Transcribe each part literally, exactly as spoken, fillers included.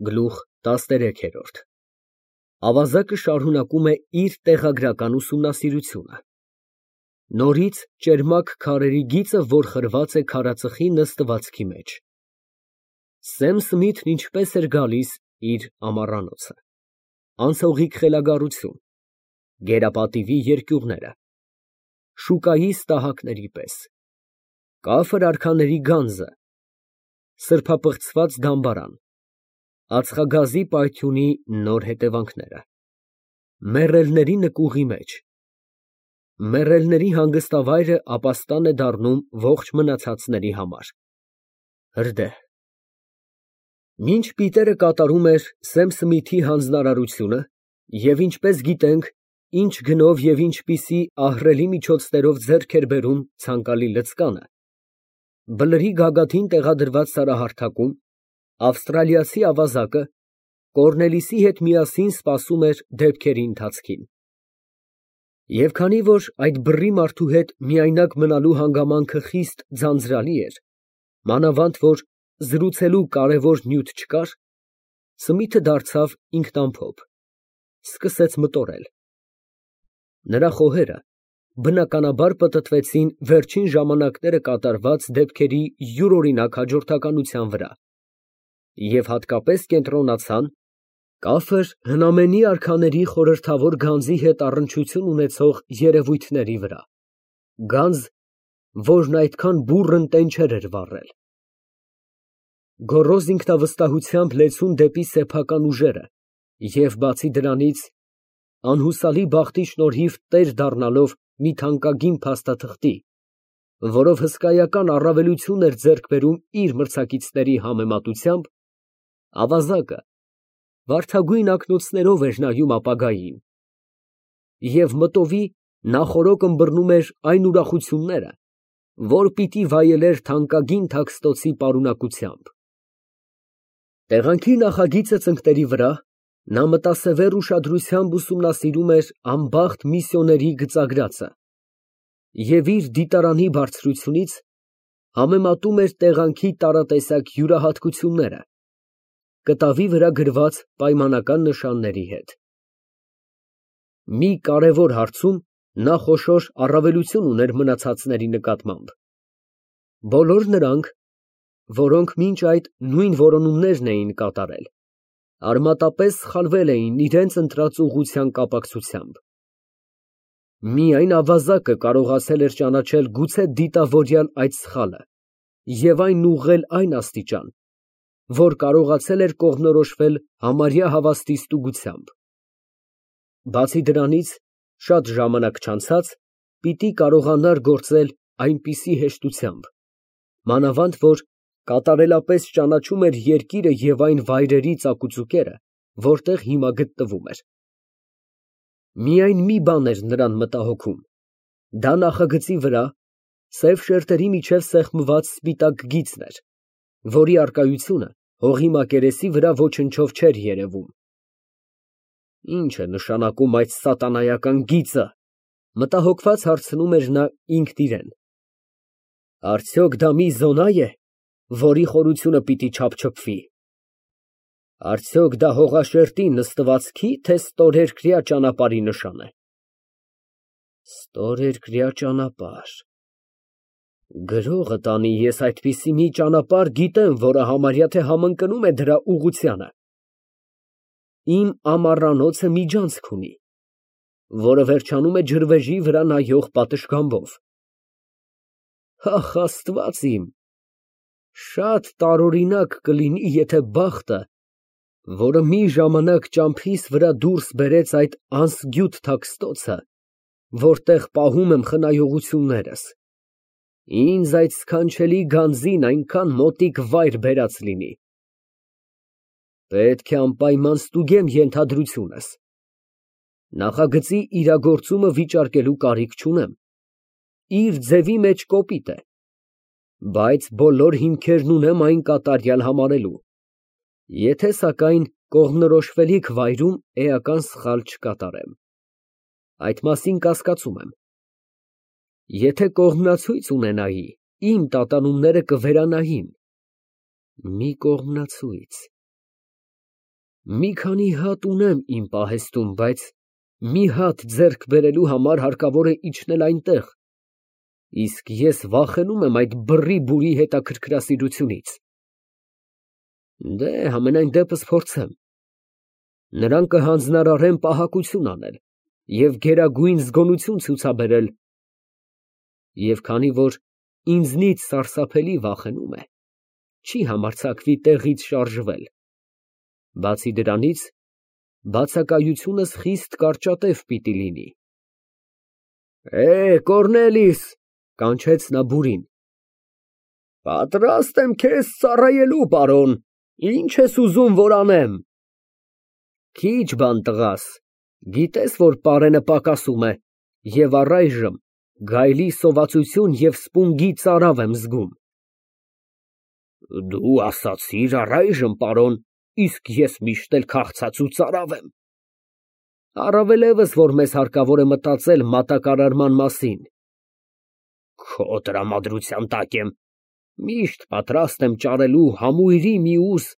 Գլուխ տասներեք։ Ավազակը շարունակում է իր տեղագրական ուսումնասիրությունը։ Նորից ճերմակ քարերի գիծը, որ խրված է քարածխի նստվածքի մեջ։ Սեմ Սմիթն ինչպես էր գալիս իր ամառանոցը։ Անցողիկ խելագարություն, գերապատիվի երկյուղները, շուկայի ստահակների պես, կաֆր արքաների գանձը, սրբապղծված դամբարան, ածխագազի պայթյունի նոր հետևանքները, մեռելների նկուղի մեջ, մեռելների հանգստավայրը ապաստան է դառնում ողջ մնացածների համար, հրդեհ։ Մինչ Պիտերը կատարում էր Սեմ Սմիթի հանձնարարությունը, և ինչպես գիտենք, ինչ գնով և ինչպիսի ահռելի միջոցներով ձեռք էր բերում ցանկալի լծկանը, բլրի գագաթին տեղադրված սարահարթակում ավստրալիացի ավազակը Կոռնելիսի հետ միասին սպասում էր դեպքերի ընթացքին։ Եվ քանի որ այդ բռի մարդու հետ միայնակ մնալու հանգամանքը խիստ ձանձրալի էր, մանավանդ որ զրուցելու կարևոր նյութ չկար, Սմիթը դարձավ ինքնամփոփ, սկսեց մտորել։ Նրա խոհերը բնականաբար պտտվեցին վերջին ժամանակները կատարված դեպքերի յուրօրինակ հաջորդականության վրա և հատկապես կենտրոնացան կաֆր հնամենի արքաների խորհրդավոր գանձի հետ առնչություն ունեցող երևույթների վրա, գանձ, որն այդքան բուռն տենչեր էր վառել։ Գոռոզ ինքնավստահությամբ լեցուն դեպի սեփական ուժերը և, բացի դրանից, անհուսալի բախտի շնորհիվ տեր դառնալով մի թանկագին փաստաթղթի, որով հսկայական առավելություն էր ձեռք բերում իր մրցակիցների համեմատությամբ, ավազակը վարդագույն ակնոցներով էր նայում ապագային և մտովի նախօրոք ըմբռնում էր այն ուրախությունները, որ պիտի վայելեր թանկագին թաքստոցի պարունակությամբ։ Տեղանքի նախագիծը ծնկների վրա նա մտասևեռ ուշադրությամբ ուսումնասիրում էր անբախտ միսիոների գծագրածը և իր դիտարանի բարձրությունից համեմատում էր տեղանքի տարատեսակ յուրահատկությունները կտավի վրա գրված պայմանական նշանների հետ։ Մի կարևոր հարցում նա խոշոր առավելություն ուներ մնացածների նկատմամբ։ Բոլոր նրանք, որոնք մինչ այդ նույն որոնումներն էին կատարել, արմատապես սխալվել էին իրենց ընտրած ուղղության կապակցությամբ։ Միայն ավազակը կարողացել էր ճանաչել գուցե դիտավորյալ այդ սխալը և այն ուղղել այն աստիճան, որ կարողացել էր կողմնորոշվել համարյա հավաստի ստուգությամբ։ Բացի դրանից, շատ ժամանակ չանցած, պիտի կարողանար գործել այնպիսի հեշտությամբ, մանավանդ որ կատարելապես ճանաչում էր երկիրը և այն վայրերի ծակուծուկերը, որտեղ հիմա գտնվում էր։ Միայն մի բան էր նրան մտահոգում, դա նախագծի վրա սև շերտերի միջև սեղմված սպիտակ գիծն էր, որի առկայությունը հողի մակերեսի վրա ոչնչով չէր երևում։ Ի՞նչ է նշանակում այդ սատանայական գիծը, մտահոգված հարցնում էր նա ինքն իրեն։ Արդյոք դա մի զոնա է, որի խորությունը պիտի չափչփվի։ Արդյոք դա հողաշերտի նստվածքի, թե ստորերկրյա ճանապարհի նշան է։ Ստորերկրյա ճանապարհ։ Գրողը տանի, ես այդպիսի մի ճանապարհ գիտեմ, որը համարյա թե համընկնում է դրա ուղղությանը։ Իմ ամառանոցը միջանցք ունի, որը վերջանում է ջրվեժի վրա նայող պատշգամբով։ Ախ, Աստված իմ, շատ տարօրինակ կլինի, եթե բախտը, որը մի ժամանակ ճամփիս վրա դուրս բերեց այդ անսգյուտ թաքստոցը, որտեղ պահում եմ խնայողություններս, ինձ այդ սքանչելի գանձին այնքան մոտիկ վայր բերած լինի։ Պետք է անպայման ստուգեմ ենթադրությունս։ Նախագծի իրագործումը վիճարկելու կարիք չունեմ, իր ձևի մեջ կոպիտ է, բայց բոլոր հիմքերն ունեմ այն կատարյալ համարելու, եթե սակայն կողմնորոշվելիք վայրում էական սխալ չկատարեմ։ Այդ մասին կասկածում եմ։ Եթե կողմնացույց ունենայի, իմ տատանումները կվերանային։ Մի կողմնացույց։ Մի քանի հատ ունեմ իմ պահեստում, բայց մի հատ ձեռք բերելու համար հարկավոր է իջնել այնտեղ, իսկ ես վախենում եմ այդ բռի֊բուրի հետաքրքրասիրությունից։ Դե, համենայն դեպս փորձեմ։ Նրան կհանձնարարեմ պահակություն անել և գերագույն զգոնություն ցուցաբերել, և քանի որ ինձնից սարսափելի վախենում է, չի համարձակվի տեղից շարժվել։ Բացի դրանից, բացակայությունս խիստ կարճատև պիտի լինի։ Է, Կոռնելիս, կանչեց նա բուրին։ Պատրաստ եմ քեզ ծառայելու, պարոն, ինչ ես ուզում, որ անեմ։ Քիչ բան տղաս, գիտես, որ պարենը պակասում է, և առայժմ գայլի սովածություն և սպունգի ծարավ եմ զգում։ Դու ասացիր առայժմ, պարոն, իսկ ես միշտ էլ քաղցած ու ծարավ եմ։ Առավելևս, որ մեզ հարկավոր է մտածել մատակարարման մասին։ Քո տրամադրության տակ եմ, միշտ պատրաստ եմ ճարելու համույրի մի ուզ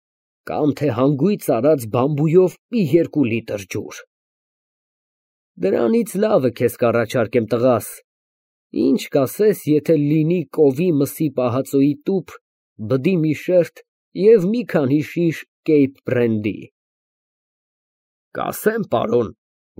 կամ թե հանգույց արած բամբույով մի երկու լիտր ջուր։ Դրանից լավը քեզ կառաջարկեմ, տղաս, ինչ կասես, եթե լինի կովի մսի պահածոյի տուփ, բդի մի շերտ և մի քանի շիշ Կեյփ բրենդի։ Կասեմ, պարոն,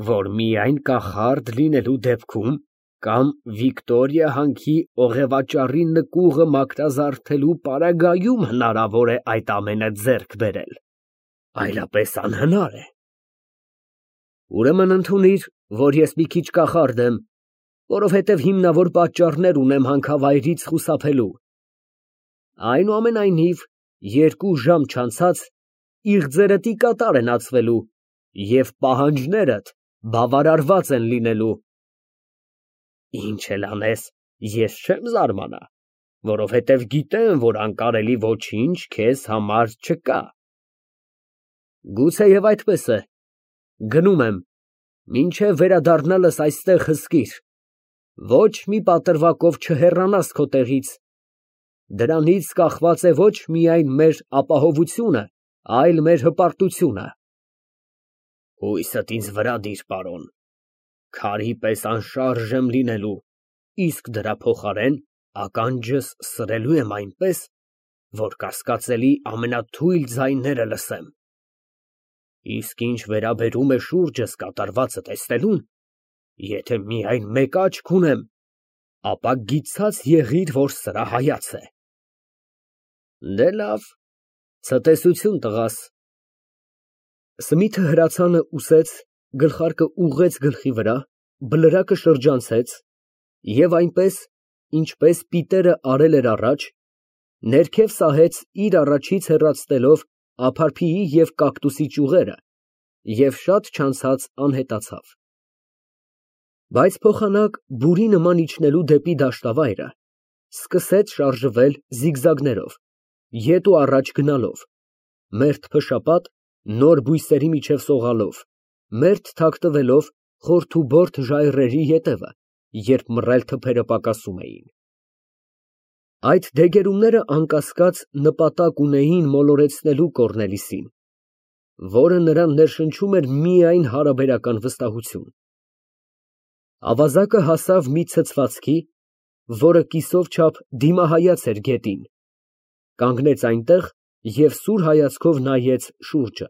որ միայն կախարդ լինելու դեպքում կամ Վիկտորիա հանքի օղևաճառի նկուղը մաքրազարդելու պարագայում հնարավոր է այդ ամենը ձեռք բերել, այլապես անհնար է։ Ուրեմն ընդունիր, որ ես մի քիչ կախարդ եմ, որովհետև հիմնավոր պատճառներ ունեմ հանքավայրից խուսափելու։ Այնուամենայնիվ, երկու ժամ չանցած իղձերդ ի կատար են ածվելու և պահանջներդ բավարարված են լինելու։ Ինչ էլ անես, ես չեմ զարմանա, որովհետև գիտեմ, որ անկարելի ոչինչ քեզ համար չկա։ Գուցեև այդպես է, գնում եմ, մինչև վերադառնալս այստեղ հսկիր, ոչ մի պատրվակով չհեռանաս քո տեղից, դրանից կախված է ոչ միայն մեր ապահովությունը, այլ մեր հպարտությունը։ Հույսդ ինձ վրա դիր, պարոն, քարի պես անշարժ եմ լինելու, իսկ դրա փոխարեն ականջս սրելու եմ այնպես, որ կասկածելի ամենաթույլ ձայները լսեմ։ Իսկ ինչ վերաբերում է շուրջս կատարվածը տեսնելուն, եթե միայն մեկ աչք ունեմ, ապա գիցած եղիր, որ սրա հայաց է։ Դե լավ, ցտեսություն, տղաս։ Սմիթը հրացանը ուսեց, գլխարկը ուղղեց գլխի վրա, բլրակը շրջանցեց և այնպես, ինչպես Պիտերը արել էր առաջ, ներքև սահեց իր առաջից հեռացնելով ափարփիի և կակտուսի ճյուղերը և շատ չանցած անհետացավ։ Բայց փոխանակ բուրի նման իջնելու դեպի դաշտավայրը, սկսեց շարժվել զիգզագներով, ետ ու առաջ գնալով, մերթ փշապատ, նոր բույսերի միջև սողալով, մերթ թաքնվելով խորթուբորթ ժայռերի ետևը, երբ մռայլ թփերը պակասում էին։ Այդ դեգերումները անկասկած նպատակ ունեին մոլորեցնելու Կոռնելիսին, որը նրան ներշնչում էր միայն հարաբերական վստահություն։ Ավազակը հասավ մի ցցվածքի, որը կիսով չափ դիմահայաց էր գետին, կանգնեց այնտեղ և սուր հայացքով նայեց շուրջը։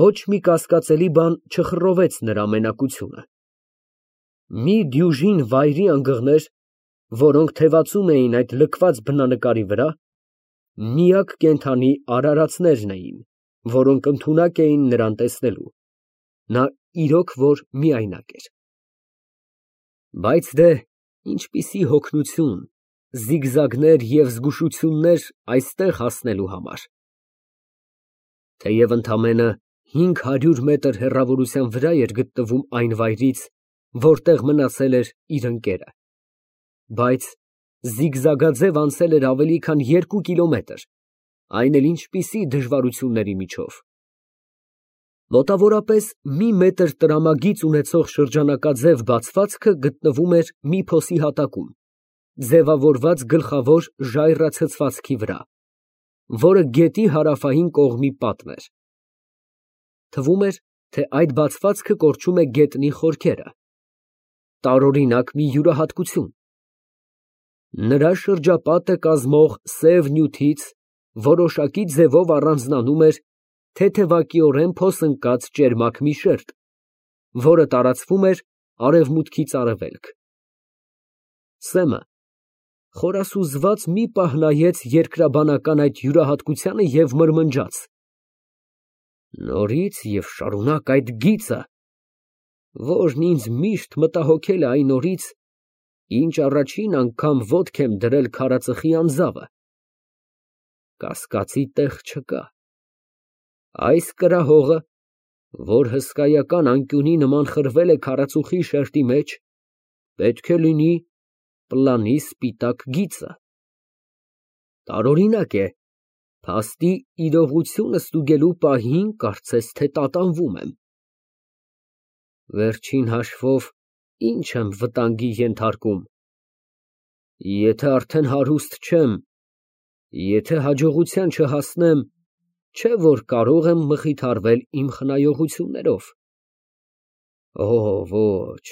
Ոչ մի կասկածելի բան չխռովեց նրա մենակությունը։ Մի դյուժին վայրի անգղներ, որոնք թևածում էին այդ լքված բնանկարի վրա, միակ կենդանի արարածներն էին, որոնք ընդունակ էին նրան տեսնելու, նա իրոք որ միայնակ էր։ Բայց դե, ինչպիսի հոգնություն, զիգզագներ և զգուշություններ այստեղ հասնելու համար։ Թեև ընդամենը հինգ հարյուր մետր հեռավորության վրա էր գտնվում այն վայրից, որտեղ մնացել էր իր ընկերը, բայց զիգզագաձև անցել էր ավելի քան երկու կիլոմետր, այն էլ ինչպիսի դժվարությունների միջով։ Մոտավորապես մի մետր տրամագիծ ունեցող շրջանակաձև բացվածքը գտնվում էր մի փոսի հատակում, ձևավորված գլխավոր ժայռացցվածքի վրա, որը գետի հարավային կողմի պատն էր։ Թվում էր, թե այդ բացվածքը կորչում է գետնի խորքերը։ Տարօրինակ մի յուրահատկություն։ Նրա շրջապատը կազմող սև նյութից որոշակի ձևով առանձնանում էր թեթևակիորեն փոսընկած ճերմակ մի շերտ, որը տարածվում էր արևմուտքից արևելք։ Սեմը խորասուզված մի պահ նայեց երկրաբանական այդ յուրահատկությանը և մրմնջաց. նորից և շարունակ այդ գիծը, որն ինձ միշտ մտահոգել է այն օրից, ինչ առաջին անգամ ոտք եմ դրել քարածխի անձավը։ Կասկածի տեղ չկա։ Այս կրահողը, որ հսկայական անկյունի նման խրվել է քարածուխի շերտի մեջ, պետք է լինի պլանի սպիտակ գիծը։ Տարօրինակ է, փաստի իրողությունը ստուգելու պահին կարծես թե տատանվում եմ։ Վերջին հաշվով, ինչ եմ վտանգի ենթարկում։ Եթե արդեն հարուստ չեմ, եթե հաջողության չհասնեմ, չէ՞ որ կարող եմ մխիթարվել իմ խնայողություններով։ Օ, ոչ,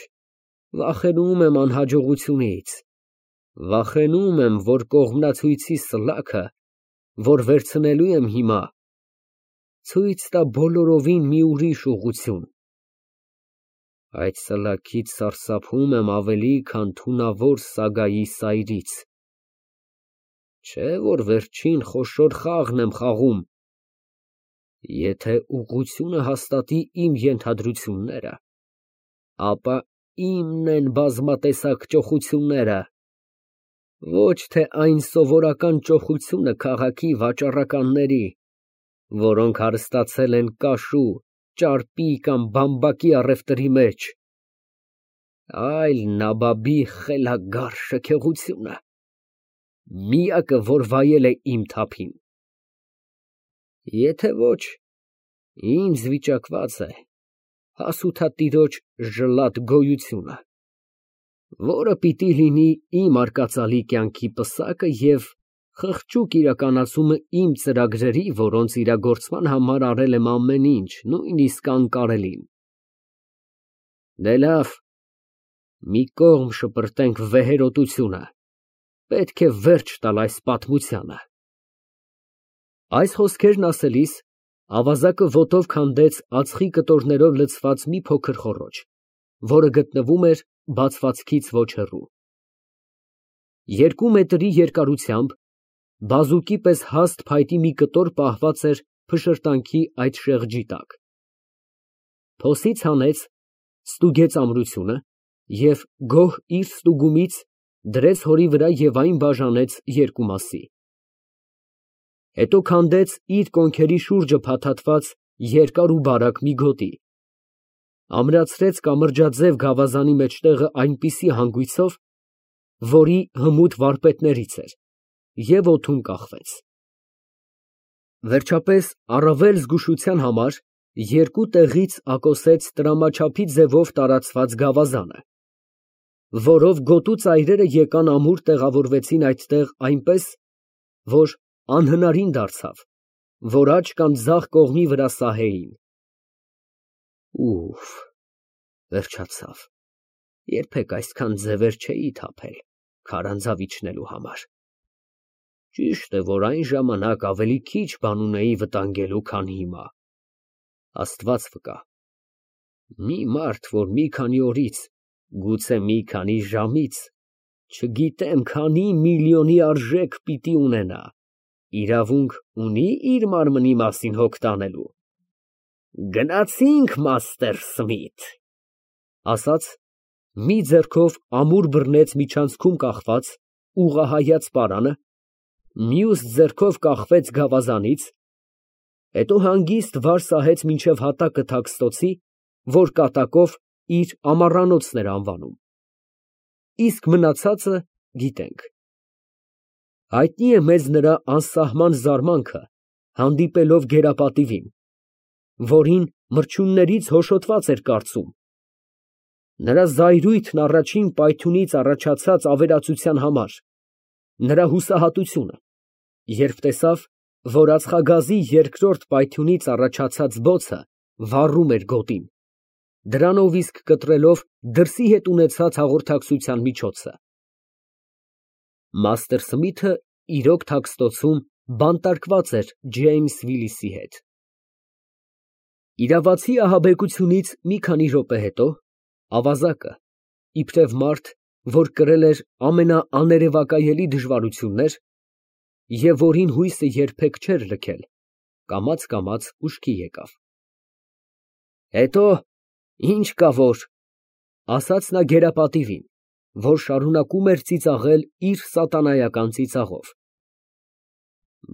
վախենում եմ անհաջողությունից, վախենում եմ, որ կողմնացույցի սլաքը, որ վերցնելու եմ հիմա, ցույց տա բոլորովին մի ուրիշ ուղղություն։ Այդ սլաքից սարսափում եմ ավելի, քան թունավոր սագայի սայրից։ Չէ՞ որ վերջին խոշոր խաղն եմ խաղում։ Եթե ուղղությունը հաստատի իմ ենթադրությունները, ապա իմն են բազմատեսակ ճոխությունները, ոչ թե այն սովորական ճոխությունը քաղաքի վաճառականների, որոնք հարստացել են կաշու, ճարպի կամ բամբակի առևտրի մեջ, այլ նաբաբի խելագար շքեղությունը, միակը, որ վայել է իմ թափին։ Եթե ոչ, ինձ վիճակված է հասութատիրոջ ժլատ գոյությունը, որը պիտի լինի իմ արկածալի կյանքի պսակը և խղճուկ իրականացումը իմ ծրագրերի, որոնց իրագործման համար արել եմ ամեն ինչ, նույնիսկ անկարելին։ Դե լավ, մի կողմ շպրտենք վեհերոտությունը, պետք է վերջ տալ այս պատմությանը։ Այս խոսքերն ասելիս, ավազակը ոտով քանդեց ածխի կտորներով լցված մի փոքր խոռոչ, որը գտնվում էր բացվածքից ոչ հեռու։ Երկու մետրի երկարությամբ, բազուկի պես հաստ փայտի մի կտոր պահված էր փշրտանքի այդ շեղջի տակ։ Փոսից հանեց, ստուգեց ամրությունը և գոհ իր ստուգումից դրեց հորի վրա և այն բաժանեց երկու մասի։ Հետո քանդեց իր կոնքերի շուրջը փաթաթված երկար ու բարակ մի գոտի, ամրացրեց կամրջաձև գավազանի մեջտեղը այնպիսի հանգույցով, որի հմուտ վարպետներից էր, և օդում կախվեց։ Վերջապես, առավել զգուշության համար, երկու տեղից ակոսեց տրամաչափի ձևով տարածված գավազանը, որով գոտու ծայրերը եկան ամուր տեղավորվեցին այդտեղ այնպես, որ անհնարին դարձավ, որ աջ կամ ձախ կողմի վրա սահեին։ Ուֆ, վերջացավ, երբեք այսքան ձևեր չէի թափել քարանձավ իջնելու համար։ Ճիշտ է, որ այն ժամանակ ավելի քիչ բան ունեի վտանգելու, քան հիմա։ Աստված վկա, մի մարդ, որ մի քանի օրից, գուցե մի քանի ժամից, չգիտեմ քանի միլիոնի արժեք պիտի ունենա, իրավունք ունի իր մարմնի մասին հոգ տանելու։ Գնացինք, մաստեր Սմիթ, ասաց, մի ձեռքով ամուր բռնեց միջանցքում կախված, ուղղահայաց պարանը, մյուս ձեռքով կախվեց գավազանից, հետո հանգիստ վար սահեց մինչև հատակը թաքստոցի, որ կատակով իր ամառանոցն էր անվանում։ Իսկ մնացածը գիտենք։ Հայտնի է մեզ նրա անսահման զարմանքը, հանդիպելով գերապատիվին, որին մրջյուններից հոշոտված էր կարծում, նրա զայրույթն առաջին պայթյունից առաջացած ավերածության համար, նրա հուսահատությունը, երբ տեսավ, որ ածխագազի երկրորդ պայթյունից առաջացած բոցը վառում էր գոտին, դրանով իսկ կտրելով դրսի հետ ունեցած հաղորդակցության միջոցը։ Մաստեր Սմիթը իրոք թաքստոցում բանտարկված էր Ջեյմս Վիլիսի հետ։ Իրավացի ահաբեկությունից մի քանի րոպե հետո ավազակը, իբրև մարդ, որ կրել էր ամենաաներևակայելի դժվարություններ և որին հույսը երբեք չէր լքել, կամաց֊կամաց ուշքի եկավ։ Հետո ինչ կա որ, ասաց նա գերապատիվին, որ շարունակում էր ծիծաղել իր սատանայական ծիծաղով։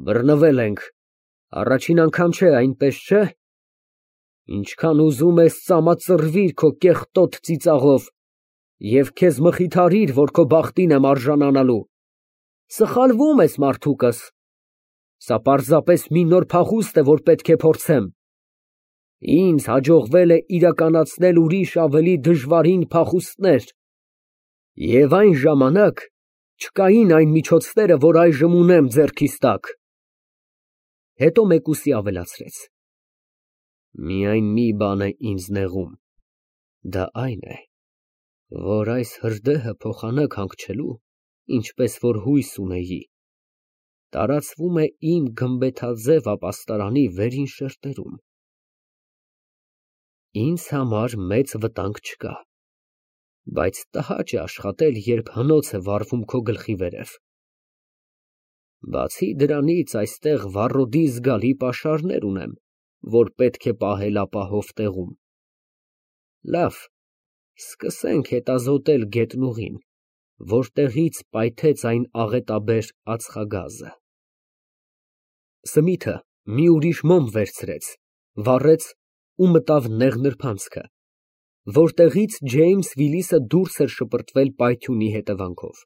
Բռնվել ենք, առաջին անգամ չէ, այնպես չէ։ Ինչքան ուզում ես ծամածռվիր քո կեղտոտ ծիծաղով և քեզ մխիթարիր, որ քո բախտին եմ արժանանալու։ Սխալվում ես, մարդուկս, սա պարզապես մի նոր փախուստ է, որ պետք է փորձեմ։ Ինձ հաջողվել է իրականացնել ուրիշ ավելի դժվարին փախուստներ, և այն ժամանակ չկային այն միջոցները, որ այժմ ունեմ ձեռքիս տակ։ Հետո մեկուսի ավելացրեց. Միայն մի բան է ինձ նեղում, դա այն է, որ այս հրդեհը փոխանակ հանգչելու, ինչպես որ հույս ունեի, տարածվում է իմ գմբեթաձև ապաստարանի վերին շերտերում։ Ինձ համար մեծ վտանգ չկա, բայց տհաճ է աշխատել, երբ հնոց է վառվում քո գլխի վերև։ Բացի դրանից, այստեղ վառոդի զգալի պաշարներ ունեմ, որ պետք է պահել ապահով տեղում։ Լավ, սկսենք հետազոտել գետնուղին, որտեղից պայթեց այն աղետաբեր ածխագազը։ Սմիթը մի ուրիշ մոմ վերցրեց, վառեց ու մտավ նեղ նրբանցքը, որտեղից Ջեյմս Վիլիսը դուրս էր շպրտվել պայթյունի հետևանքով։